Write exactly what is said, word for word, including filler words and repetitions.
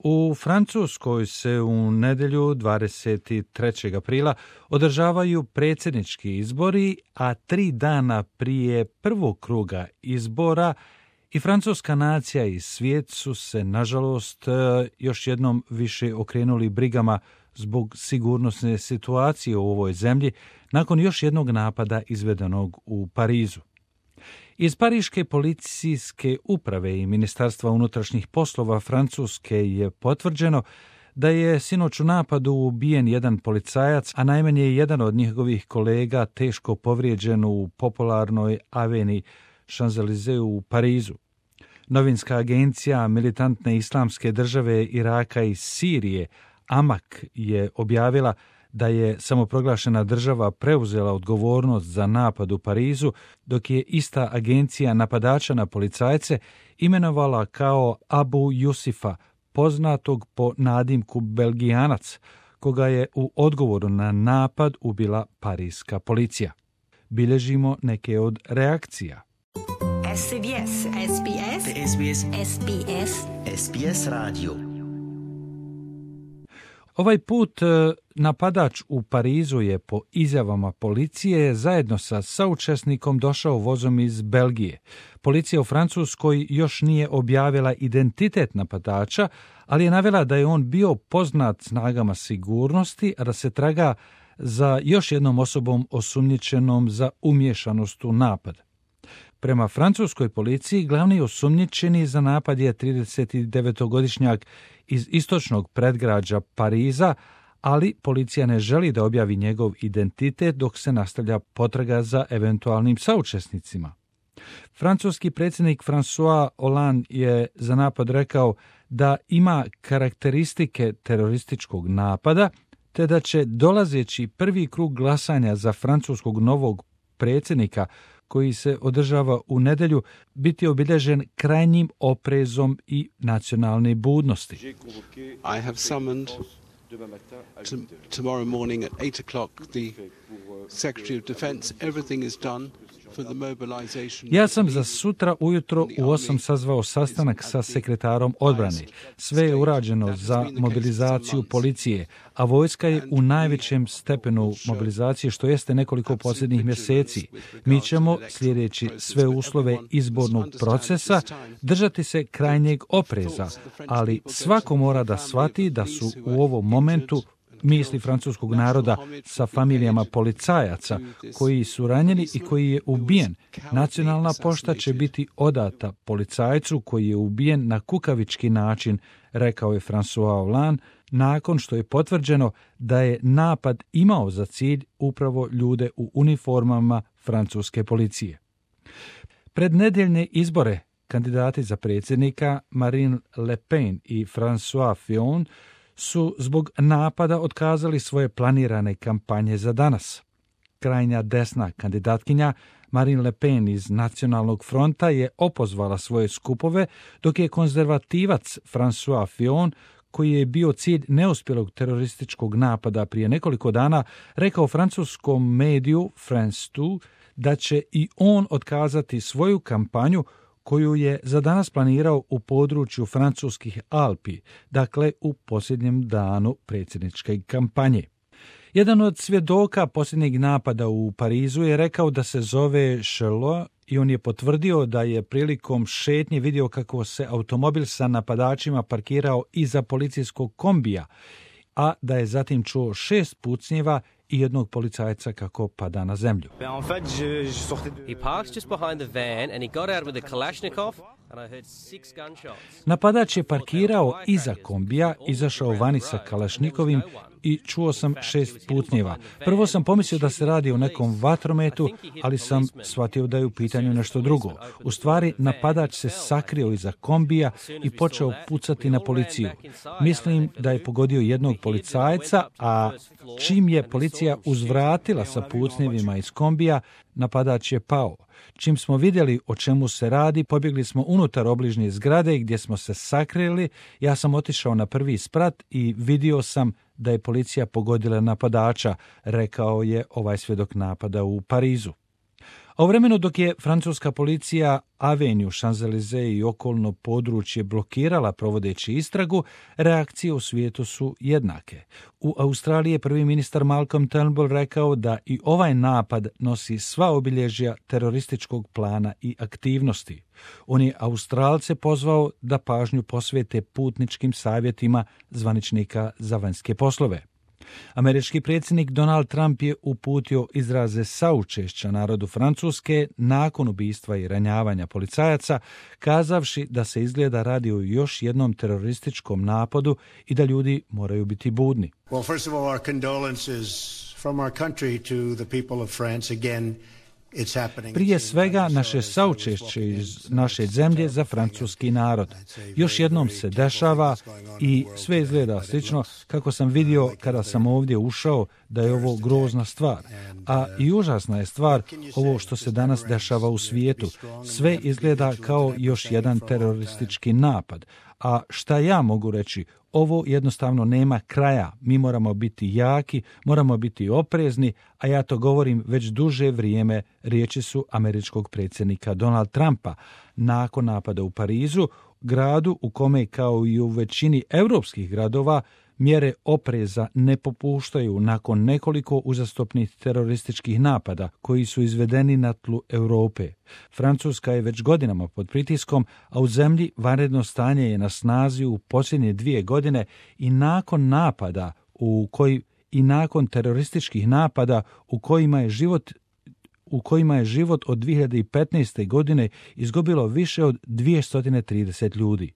U Francuskoj se u nedjelju dvadeset trećeg aprila održavaju predsjednički izbori, a tri dana prije prvog kruga izbora i francuska nacija i svijet su se, nažalost, još jednom više okrenuli brigama zbog sigurnosne situacije u ovoj zemlji nakon još jednog napada izvedenog u Parizu. Iz Pariške policijske uprave i Ministarstva unutrašnjih poslova Francuske je potvrđeno da je sinoć u napadu ubijen jedan policajac, a najmanje je jedan od njihovih kolega teško povrijeđen u popularnoj aveni Champs-Élysées u Parizu. Novinska agencija militantne islamske države Iraka i Sirije, Amak, je objavila da je samoproglašena država preuzela odgovornost za napad u Parizu, dok je ista agencija napadača na policajce imenovala kao Abu Yusufa, poznatog po nadimku Belgijanac, koga je u odgovoru na napad ubila parijska policija. Bilježimo neke od reakcija. S B S, S B S, S B S, S B S, S B S radio. Ovaj put napadač u Parizu je po izjavama policije zajedno sa saučesnikom došao vozom iz Belgije. Policija u Francuskoj još nije objavila identitet napadača, ali je navela da je on bio poznat snagama sigurnosti, a da se traga za još jednom osobom osumnjičenom za umiješanost u napad. Prema francuskoj policiji, glavni osumnjičeni za napad je tridesetdevetogodišnjak iz istočnog predgrađa Pariza, ali policija ne želi da objavi njegov identitet dok se nastavlja potraga za eventualnim saučesnicima. Francuski predsjednik François Hollande je za napad rekao da ima karakteristike terorističkog napada, te da će dolazeći prvi krug glasanja za francuskog novog predsjednika, koji se održava u nedjelju, biti obilježen krajnjim oprezom i nacionalne budnosti. I have summoned to, tomorrow morning at eight o'clock the Secretary of Defense. Everything is done. Ja sam za sutra ujutro u osam sazvao sastanak sa sekretarom odbrane. Sve je urađeno za mobilizaciju policije, a vojska je u najvećem stepenu mobilizacije, što jeste nekoliko posljednjih mjeseci. Mi ćemo, slijedeći sve uslove izbornog procesa, držati se krajnjeg opreza, ali svako mora da shvati da su u ovom momentu misli francuskog naroda sa familijama policajaca koji su ranjeni i koji je ubijen. Nacionalna pošta će biti odata policajcu koji je ubijen na kukavički način, rekao je François Hollande, nakon što je potvrđeno da je napad imao za cilj upravo ljude u uniformama francuske policije. Pred nedjeljne izbore kandidati za predsjednika Marine Le Pen i François Fillon su zbog napada otkazali svoje planirane kampanje za danas. Krajnja desna kandidatkinja Marine Le Pen iz Nacionalnog fronta je opozvala svoje skupove, dok je konzervativac François Fillon, koji je bio cilj neuspjelog terorističkog napada prije nekoliko dana, rekao francuskom mediju France dva da će i on otkazati svoju kampanju koju je za danas planirao u području francuskih Alpi, dakle u posljednjem danu predsjedničke kampanje. Jedan od svjedoka posljednjeg napada u Parizu je rekao da se zove Charles i on je potvrdio da je prilikom šetnje vidio kako se automobil sa napadačima parkirao iza policijskog kombija, a da je zatim čuo šest pucnjeva i jednog policajca kako pada na zemlju. He parked just behind the van and he got out with a Kalashnikov and I heard six gunshots. Napadač je parkirao iza kombija, izašao vani sa Kalašnikovim i čuo sam šest putnjeva. Prvo sam pomislio da se radi o nekom vatrometu, ali sam shvatio da je u pitanju nešto drugo. U stvari, napadač se sakrio iza kombija i počeo pucati na policiju. Mislim da je pogodio jednog policajca, a čim je policija uzvratila sa pucnjevima iz kombija, napadač je pao. Čim smo vidjeli o čemu se radi, pobjegli smo unutar obližnje zgrade gdje smo se sakrili. Ja sam otišao na prvi sprat i vidio sam da je policija pogodila napadača, rekao je ovaj svjedok napada u Parizu. A u vremenu dok je francuska policija Avenue, Champs-Élysées i okolno područje blokirala provodeći istragu, reakcije u svijetu su jednake. U Australiji je prvi ministar Malcolm Turnbull rekao da i ovaj napad nosi sva obilježja terorističkog plana i aktivnosti. On je Australce pozvao da pažnju posvete putničkim savjetima zvaničnika za vanjske poslove. Američki predsjednik Donald Trump je uputio izraze saučešća narodu Francuske nakon ubistva i ranjavanja policajaca, kazavši da se izgleda radi o još jednom terorističkom napadu i da ljudi moraju biti budni. Well, first of all, our condolences from our country to the people of France again. Prije svega naše saučešće iz naše zemlje za francuski narod. Još jednom se dešava i sve izgleda slično kako sam vidio kada sam ovdje ušao da je ovo grozna stvar. A i užasna je stvar ovo što se danas dešava u svijetu. Sve izgleda kao još jedan teroristički napad. A šta ja mogu reći? Ovo jednostavno nema kraja. Mi moramo biti jaki, moramo biti oprezni, a ja to govorim već duže vrijeme, riječi su američkog predsjednika Donald Trumpa. Nakon napada u Parizu, gradu u kome kao i u većini europskih gradova mjere opreza ne popuštaju nakon nekoliko uzastopnih terorističkih napada koji su izvedeni na tlu Europe. Francuska je već godinama pod pritiskom, a u zemlji vanredno stanje je na snazi u posljednje dvije godine i nakon napada u koji i nakon terorističkih napada u kojima je život u kojima je život od dvije hiljade petnaeste. godine izgubilo više od dvjesto trideset ljudi.